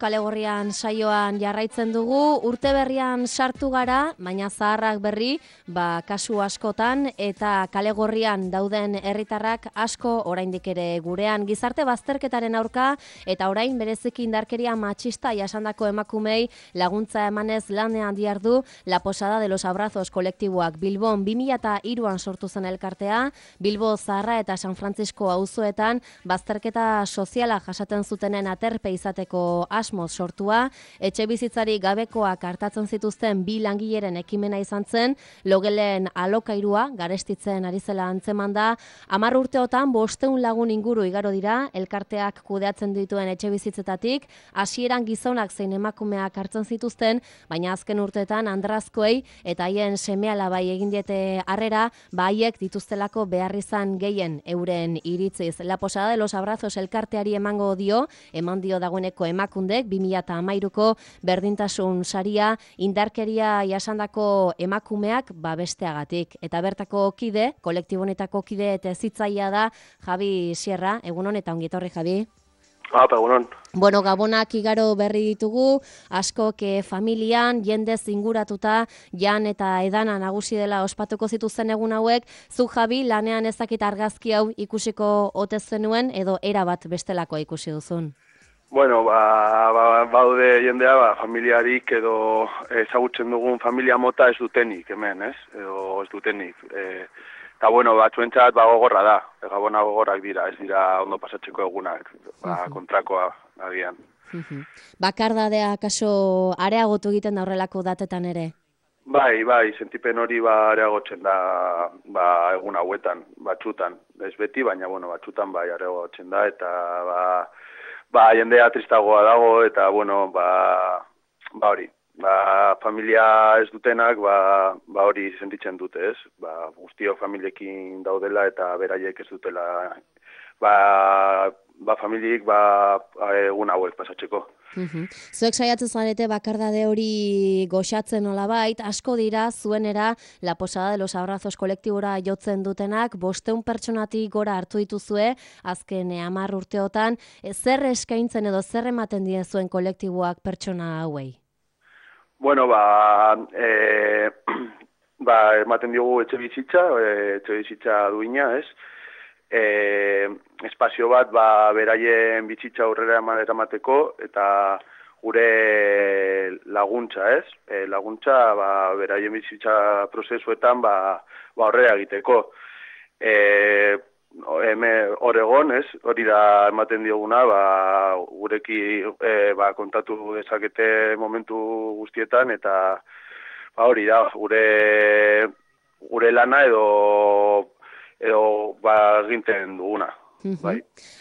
Kale Gorrian saioan jarraitzen dugu, urte berrian sartu gara, baina zaharrak berri, kasu askotan, eta Kale Gorrian dauden herritarrak asko oraindik ere gurean. Gizarte bazterketaren aurka, eta orain bereziki indarkeria matxista jasandako emakumei laguntza emanez lanean diardu La Posada de los Abrazos kolektiboak. Bilbon 2003an sortu zen elkartea, Bilbo Zaharra eta San Francisco auzoetan bazterketa soziala jasaten zutenen aterpe izateko asmoz sortua, etxe bizitzari gabekoak hartatzen zituzten 2 langileren ekimena izan zen, logelen alokairua garestitzen ari zela antzeman da. 10 urteotan 500 lagun inguru igaro dira, elkarteak kudeatzen dituen etxe bizitzetatik, hasieran gizonak zein emakumeak hartzen zituzten, baina azken urteetan andrazkoei eta haien seme-alabai egin diete harrera, haiek dituztelako beharrizan gehien euren iritziz. La Posada de los Abrazos elkarteari eman dio dagoeneko emakundek 2013ko berdintasun saria indarkeria jasandako emakumeak besteagatik. Eta bertako kide, kolektibo honetako kide eta zitzaia da Javi Sierra. Egunon eta ongi etorri, Javi. Egunon. Bueno, gabonak igaro berri ditugu, askok familian, jendez inguratuta, jan eta edana nagusi dela ospatuko zituzten egun hauek. Zu, Javi, lanean ezakit argazki hau ikusiko ote zenuen edo erabat bestelako ikusi duzun? Bueno, baude jendea, familiarik edo ezagutzen dugun familia mota ez dutenik hemen, ez? Edo ez dutenik. Eta bueno, batzuentzat gogorra da, gabona gogorrak dira, ez dira ondo pasatzeko egunak, kontrakoa agian. Bakardadea kaso areagotu egiten da horrelako datetan ere? Bai, sentipen hori areagotzen da egun hauetan, batzutan. Ez beti, baina bueno, batzutan areagotzen da, eta jendea tristagoa dago, eta bueno, hori. Familia ez dutenak, hori sentitzen dute, ez? Guztio familiekin daudela eta beraiek ez dutela, familiek egun hauek pasatzeko. Zuek saiatzen zarete bakardade hori goxatzen nolabait, asko dira zuenera La Posada de los Abrazos kolektibora jotzen dutenak, 500 pertsonatik gora hartu dituzue, azken 10 urteotan, zer eskaintzen edo zer ematen die zuen kolektiboak pertsona hauei? Bueno, ematen diogu etxe bizitza duina, ez? Espazio bat, beraien bizitza aurrera eramateko, eta gure laguntza, ez? Laguntza, beraien bizitza prozesuetan, aurrera egiteko. Oregon, ez? Hori da ematen dioguna, gureki kontatu dezakete momentu guztietan, eta hori da, gure lana edo ginten duguna.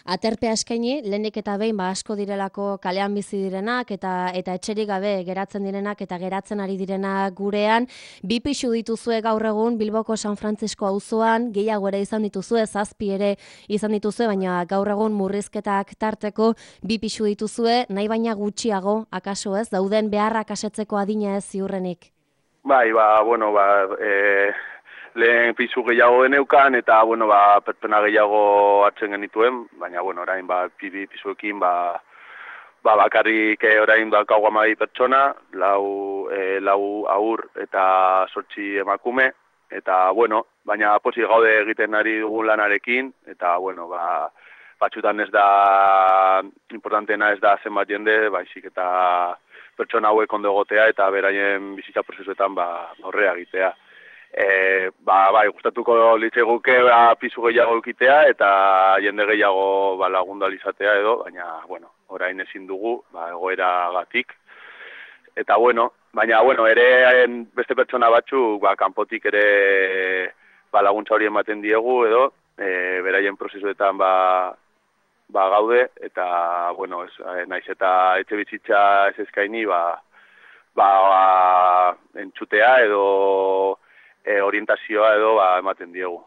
Aterpea eskaini, lehenik eta behin asko direlako kalean bizi direnak eta etxerik gabe geratzen direnak eta geratzen ari direnak gurean. 2 pisu dituzue gaur egun Bilboko San Francisco auzoan, gehiago ere izan dituzue, 7 ere izan dituzue, baina gaur egun murrizketak tarteko 2 pisu dituzue, nahi baina gutxiago, akaso ez, dauden beharrak asetzeko adina ez ziurrenik. Lehen pisu gehiago geneukan, eta, pertsona gehiago hartzen genituen, baina, orain, pisuekin, bakarrik orain daukagu 12 pertsona, 4 haur eta 8 emakume, eta, baina pozik gaude egiten ari dugun lanarekin, eta, batzutan ez da, importantena ez da zenbat jende, baizik eta pertsona hauek ondo egotea, eta beraien bizitza prozesuetan aurrera egitea. Gustatuko litzeguke pisu gehiago eukitea eta jende gehiago lagundu ahal izatea edo, baina, orain ezin dugu, egoeragatik. Eta, baina, ere beste pertsona batzuk, kanpotik ere laguntza hori ematen diegu edo, beraien prozesuetan gaude, eta, naiz eta etxe bizitza ez eskaini, entzutea edo orientazioa edo ematen diegu.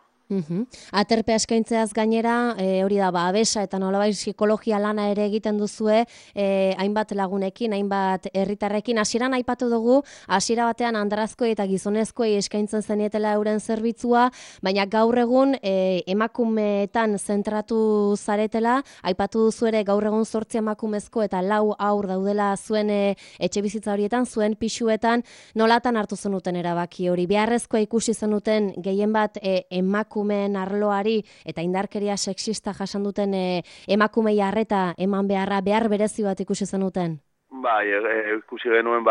Aterpea eskaintzeaz gainera, hori da, abesa eta nolabait psikologia lana ere egiten duzue, hainbat lagunekin, hainbat herritarrekin. Hasieran aipatu dugu, hasiera batean andrazkoi eta gizonezkoi eskaintzen zenietela euren zerbitzua, baina gaur egun emakumeetan zentratu zaretela, aipatu duzu ere gaur egun 8 emakumezko eta 4 haur daudela zuen etxebizitza horietan, zuen pisuetan, nolatan hartu zenuten erabaki hori? Beharrezkoa ikusi zenuten gehien bat emakumeen arloari eta indarkeria sexista jasan duten emakumei arreta eman behar berezi bat ikusi zenuten? Bai, ikusi genuen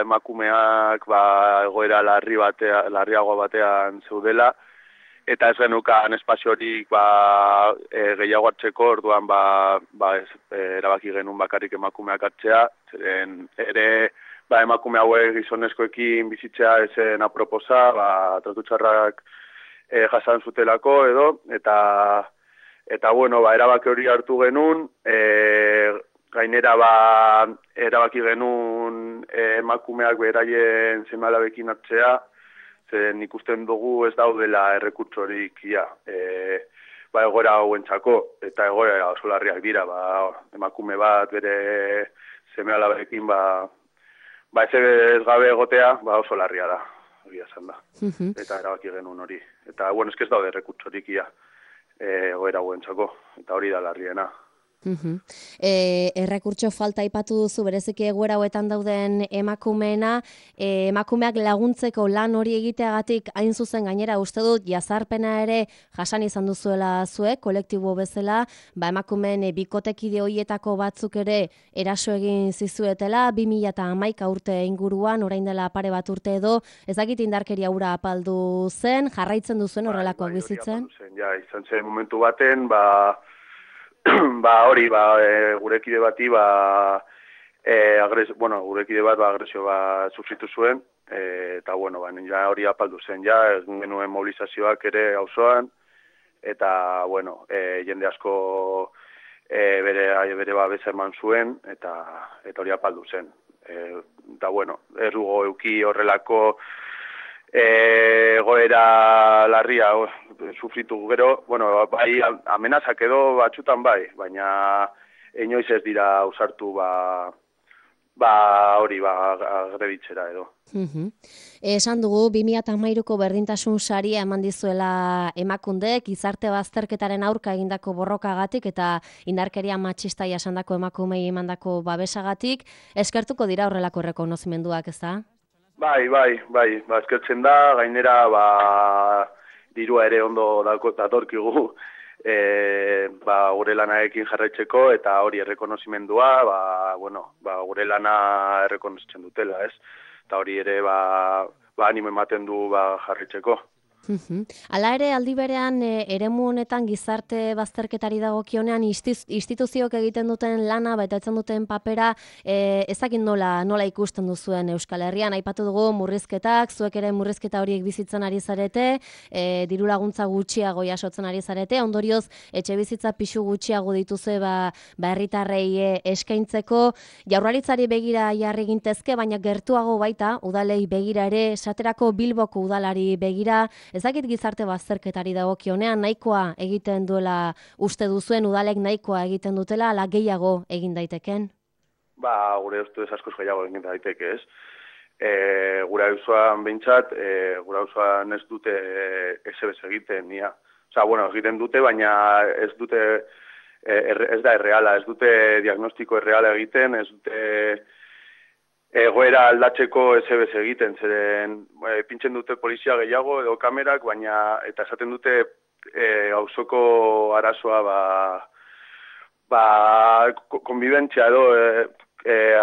emakumeak egoera larriago batean zeudela, eta ez genukan espaziorik gehiago hartzeko, orduan erabaki genuen bakarrik emakumeak hartzea, zeren ere emakume hauek gizonezkoekin bizitzea ezen aproposa, tratu txarrak jasan zutelako edo, eta bueno, erabaki hori hartu genuen, gainera erabaki genuen emakumeak beraien seme-alabekin hartzea, zen ikusten dugu ez daudela errekurtsorik egoera hauentzako, eta egoera oso larriak dira, emakume bat bere seme-alabekin ez gabe egotea, oso larria da. Esan da. Eta erabaki genuen hori. Eta, bueno, ez daude errekurtsorik egoera hauentzako, eta hori da larriena. Errekurtso falta aipatu duzu, bereziki egoera hauetan dauden emakumeena, emakumeak laguntzeko lan hori egiteagatik hain zuzen gainera uste dut jazarpena ere jasan izan duzuela zuek, kolektibo bezala, emakumeen bikotekide horietako batzuk ere eraso egin zizuetela, 2011 urte inguruan, orain dela pare bat urte edo, ez dakit indarkeria hura apaldu zen, jarraitzen duzuen horrelakoak bizitzen? Izan zen momentu baten, gure kide bati, gure kide bat agresio sufritu zuen, eta hori apaldu zen, ez genuen mobilizazioak ere auzoan, eta, jende asko bere babesa eman zuen, eta hori apaldu zen. Eta, ez dugu euki horrelako egoera larria sufritu gero, amenazak edo batzutan baina inoiz ez dira usartu agreditzera edo. Esan dugu, 2013ko berdintasun saria eman dizuela emakundek, gizarte bazterketaren aurka egindako borrokagatik eta indarkeria matxista jasandako emakumei emandako babesagatik, eskertuko dira horrelako errekonozimenduak, ez da? Bai, eskertzen da, gainera, dirua ere ondo datorkigu, gure lanaekin jarraitzeko, eta hori errekonozimendua, gure lana errekonozitzen dutela, ez? Eta hori ere, animo ematen du jarraitzeko. Hala ere, aldi berean, eremu honetan gizarte bazterketari dagokionean instituziok egiten duten lana, betetzen duten papera, ezakin nola ikusten duzuen Euskal Herrian, aipatu dugu murrizketak, zuek ere murrizketa horiek bizitzen ari zarete, diru laguntza gutxiago jasotzen ari zarete, ondorioz, etxe bizitza pixu gutxiago dituzue herritarrei eskaintzeko, Jaurlaritzari begira jarri gintezke, baina gertuago baita, udalei begira ere, esaterako Bilboko udalari begira, ezakit gizarte bazterketari dagokionean nahikoa egiten duela uste duzuen, udalek nahikoa egiten dutela, ala gehiago egin daiteken? Gure ustez askoz gehiago egin daiteke, ez? Gure auzoan behintzat, gure auzoan ez dute ezebez egiten, egiten dute, baina ez dute, ez da erreala, ez dute diagnostiko erreala egiten, ez dute egoera aldatzeko ezebez egiten, zeren pintzen dute polizia gehiago edo kamerak, baina eta esaten dute auzoko arazoa konbibentzia edo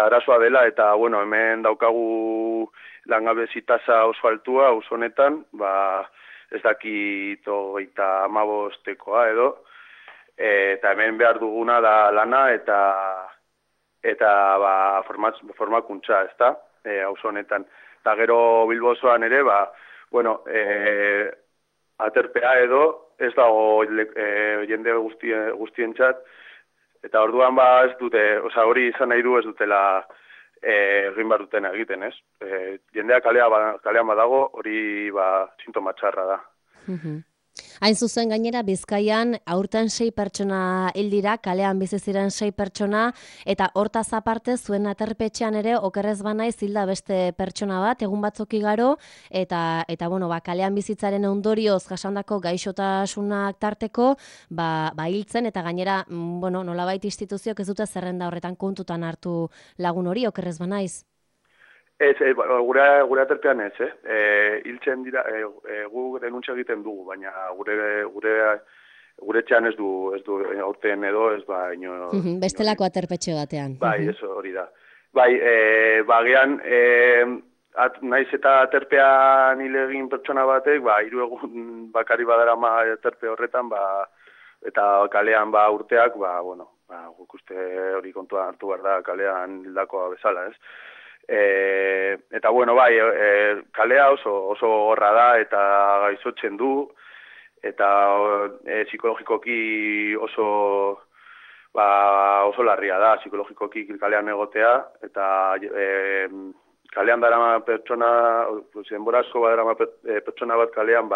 arazoa dela, eta hemen daukagu langabezi tasa oso altua auzo honetan, ez dakit 35 edo, eta hemen behar duguna da lana eta formakuntza, ezta, auzo honetan. Eta gero Bilbo osoan ere, aterpea edo, ez dago jende guztientzat, eta orduan ez dute, hori izan nahi du ez dutela egin behar duten egiten, ez? Jendea kalean badago, hori sintoma txarra da. Hain zuzen gainera Bizkaian aurten 6 pertsona hil dira, kalean bizi ziren 6 pertsona, eta hortaz aparte zuen aterpetxean ere okerrez banaiz hilda beste pertsona bat, egun batzuk igaro, eta bueno, kalean bizitzaren ondorioz jasandako gaixotasunak tarteko, hiltzen, eta gainera, bueno, nolabait instituzioak ez dute zerrenda horretan kontutan hartu lagun hori, okerrez banaiz. Ez, gure aterpean ez, hiltzen dira, gu denuntza egiten dugu, baina gure etxean ez du aurten edo, ez ino... Bestelako aterpetxe batean. Bai, eso hori da. Bai, bagean, naiz eta aterpean hil egin pertsona batek, 3 egun bakari badarama aterpe horretan, eta kalean urteak, guk uste hori kontuan hartu behar da kalean hildakoa bezala, ez? Eta bueno, kalea oso gorra da eta gaizotzen du, eta psikologikoki oso larria da, psikologikoki kalean egotea, eta kalean darama pertsona, denbora asko badarama pertsona bat kalean,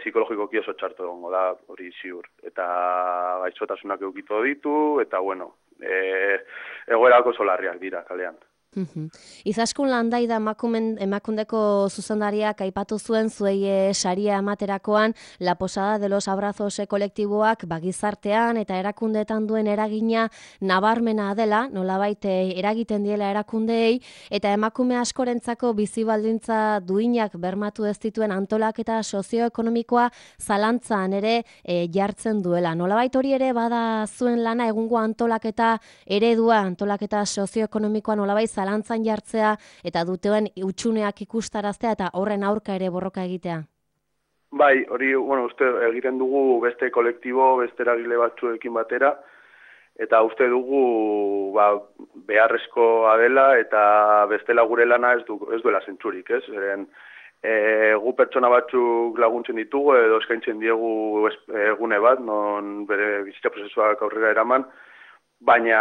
psikologikoki oso txarto egongo da, hori ziur. Eta gaixotasunak eukito ditu, eta bueno, egoerako oso larriak dira kalean. Izaskun Landaida emakundeko zuzendariak aipatu zuen zuei saria ematerakoan La Posada de los Abrazos kolektiboak gizartean eta erakundeetan duen eragina nabarmena dela, nolabait eragiten diela erakundeei, eta emakume askorentzako bizi baldintza duinak bermatu ez dituen antolaketa sozioekonomikoa zalantzan ere jartzen duela. Nolabait hori ere bada zuen lana, egungo antolaketa eredua, antolaketa sozioekonomikoa nolabait zalantzan jartzea eta duteuen utxuneak ikustaraztea eta horren aurka ere borroka egitea? Bai, hori, uste egiten dugu beste kolektibo, beste eragile batzuekin batera, eta uste dugu beharrezkoa dela eta bestela gure lana ez duela zentzurik, ez? Gu pertsona batzuk laguntzen ditugu edo eskaintzen diegu egune bat, non bere bizitza prozesuak aurrera eraman, baina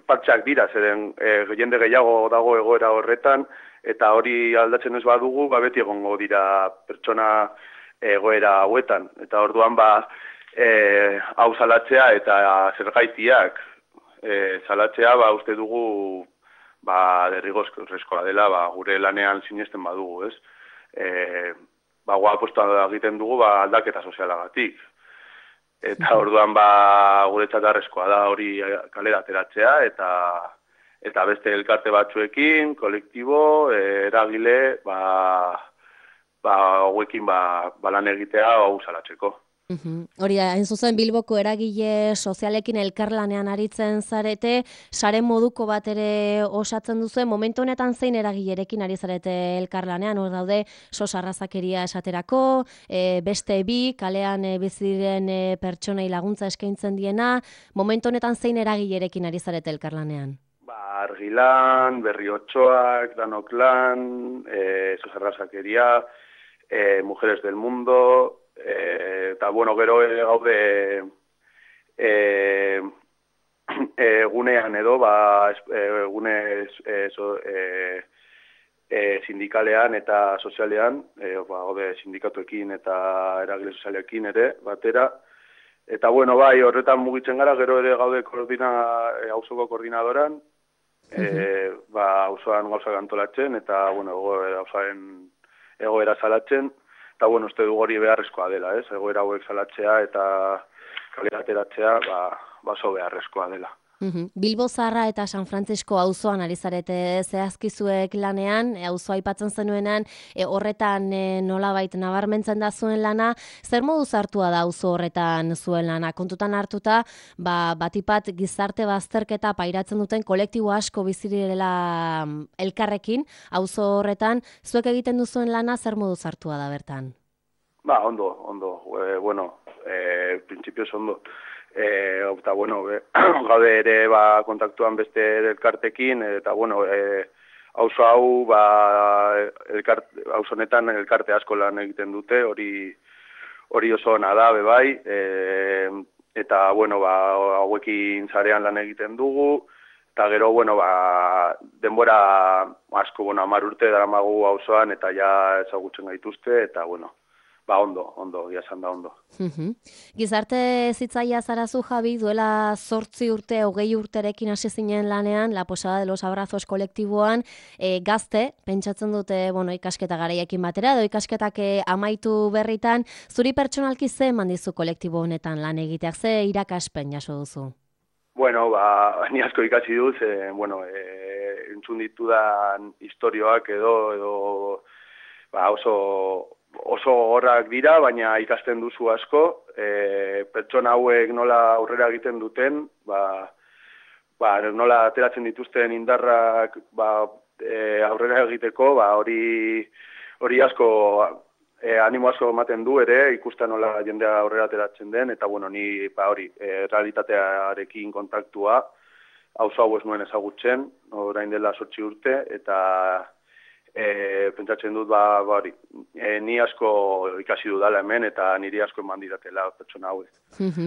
partxak dira, zeren jende gehiago dago egoera horretan, eta hori aldatzen ez badugu, beti egongo dira pertsona egoera hauetan. Eta orduan hau salatzea eta zergaitiak salatzea, uste dugu derrigorrezkoa dela, gure lanean sinesten badugu, ez? Apustu egiten dugu aldaketa sozialagatik. Eta orduan guretzat arrezkoa da hori kalera ateratzea eta beste elkarte batzuekin, kolektibo, eragile, hauekin lan egitea hau salatzeko. Hori da, hain zuzen Bilboko eragile sozialekin elkarlanean aritzen zarete, sare moduko bat ere osatzen duzu, momentu honetan zein eragilerekin ari zarete elkarlanean, hor daude sos arrazakeria esaterako, beste bi, kalean biziren pertsonei laguntza eskaintzen diena, momentu honetan zein eragilerekin ari zarete elkarlanean? Argilan, Berriotxoak, Danoklan, sos arrazakeria, Mujeres del Mundo, eta gero gaude gunean edo gune sindikalean eta sozialean, gaude sindikatuekin eta eragile sozialekin ere batera, eta horretan mugitzen gara, gero ere gaude auzoko koordinadoran, auzoan gauzak antolatzen eta auzoaren egoera salatzen. Eta uste dugu hori beharrezkoa dela, ez? Egoera hauek salatzea eta kalera ateratzea, oso beharrezkoa dela. Bilbo Zaharra eta San Frantzisko auzoan ari zarete zehazkizuek lanean, auzoa aipatzen zenuenan, horretan nolabait nabarmentzen da zuen lana, zer modu hartua da auzo horretan zuen lana? Kontutan hartuta, batipat gizarte bazterketa pairatzen duten kolektibo asko bizirela elkarrekin, auzo horretan, zuek egiten duzuen lana zer modu hartua da bertan? Ondo. Printzipioz ondo. Eta gaude ere kontaktuan beste elkartekin, eta auzo hau auzo honetan elkarte asko lan egiten dute, hori oso ona da bai, eta hauekin sarean lan egiten dugu, eta gero denbora asko 10 urte daramagu auzoan eta ja ezagutzen gaituzte, eta ondo, esan da ondo. Gizarte zitzaia zarazu, Javi, duela 8 urte, 20 urterekin hasi zinen lanean, La Posada de los Abrazos kolektiboan, gazte, pentsatzen dute, ikasketa garaiekin batera, edo ikasketak amaitu berritan, zuri pertsonalki ze eman dizu kolektibo honetan lan egiteak, ze irakaspen jaso duzu? Bueno, ni asko ikasi duz, entzun ditudan historioak edo oso horrak dira, baina ikasten duzu asko, pertsona hauek nola aurrera egiten duten, nola ateratzen dituzten indarrak aurrera egiteko, hori asko, animo asko ematen du ere, ikusten nola jendea aurrera ateratzen den, eta ni realitatearekin kontaktua, auzo hau ez nuen ezagutzen, orain dela 8 urte, eta pentsatzen dut ni asko ikasi dudala hemen eta niri asko eman didatela pertsona hauek.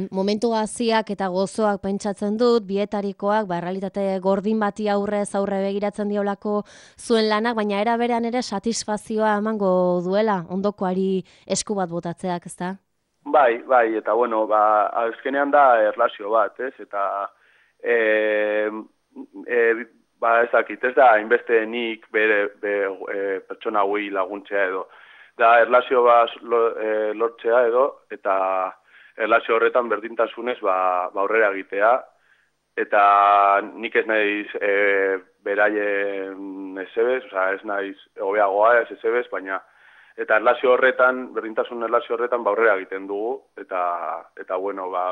Momentu gaziak eta gozoak pentsatzen dut, bietarikoak, realitate gordin bati aurre begiratzen diolako zuen lanak, baina era berean ere satisfazioa emango duela, ondokoari esku bat botatzeak, ezta? Bai, eta azkenean da erlazio bat, ez? Eta ez dakit, ez da hainbeste nik pertsona hauei laguntzea edo. Da erlazio bat lortzea edo, eta erlazio horretan berdintasunez aurrera egitea. Eta nik ez naiz beraien ezebez, ez naiz hobeagoa ez ezebez, baina eta erlazio horretan, berdintasun erlazio horretan aurrera egiten dugu. Eta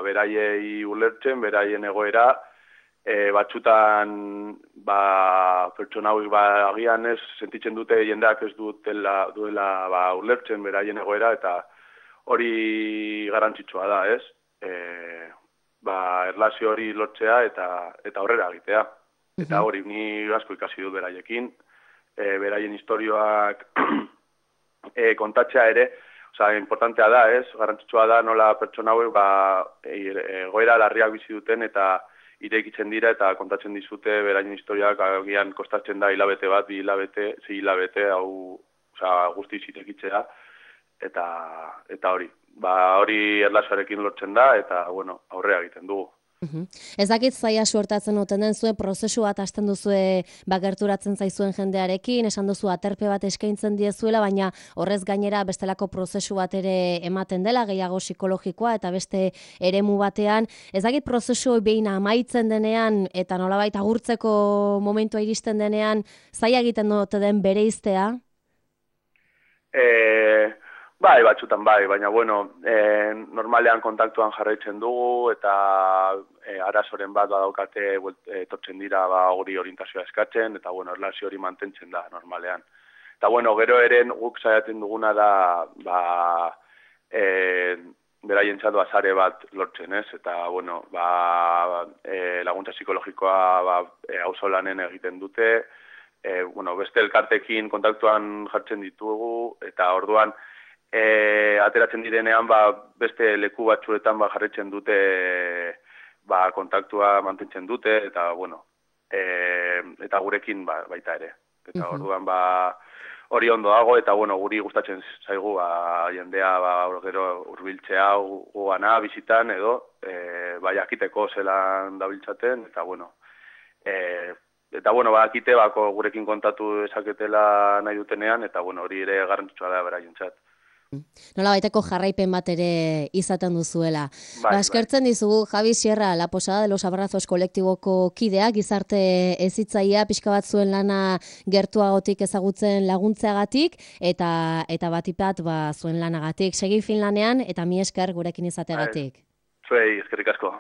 beraiei ulertzen, beraien egoera, batzutan pertsona hauek agian ez sentitzen dute jendeak ez duela ulertzen beraien egoera, eta hori garrantzitsua da, ez? Erlazio hori lortzea eta aurrera egitea. Eta hori ni asko ikasi dut beraiekin, beraien historioak kontatzea ere, importantea da, ez? Garrantzitsua da nola pertsona hauek egoera larriak bizi duten eta irekitzen dira eta kontatzen dizute beraien historiak agian kostatzen da hilabete bat, 2 hilabete, 6 hilabete, guztiz irekitzea, eta hori. Hori erlazioarekin lortzen da eta, aurrera egiten dugu. Ez dakit zaila suertatzen oten den zuen prozesu bat hasten duzue gerturatzen zaizuen jendearekin, esan duzu aterpe bat eskaintzen diezuela, baina horrez gainera bestelako prozesu bat ere ematen dela, gehiago psikologikoa eta beste eremu batean. Ez dakit prozesu behin amaitzen denean eta nolabait agurtzeko momentua iristen denean, zaila egiten dute den bereiztea? Bai, batzutan bai, baina normalean kontaktuan jarraitzen dugu eta arazoren bat badaukate etortzen dira hori orientazioa eskatzen eta erlazio hori mantentzen da normalean. Eta gero ere guk saiatzen duguna da beraientzat sare bat lortzen, ez? Eta laguntza psikologikoa auzolanen egiten dute, beste elkartekin kontaktuan jartzen ditugu eta orduan ateratzen direnean beste leku batzuetan jarraitzen dute kontaktua mantentzen dute eta eta gurekin baita ere. Eta orduan hori ondo dago eta guri gustatzen zaigu jendea gero hurbiltzea gugana bizitan edo jakiteko zelan dabiltzaten eta bakite gurekin kontatu esaketela nahi dutenean eta hori ere garrantzitsua da beraientzat. Nola baiteko jarraipen bat ere izaten duzuela. Eskertzen dizugu Javi Sierra, La Posada de los Abrazos kolektiboko kidea, gizarte hezitzailea, pixka bat zuen lana gertuagotik ezagutzen laguntzeagatik eta batipat zuen lanagatik. Segi fin lanean eta mi esker gurekin izateagatik. Zuei, eskerrik asko.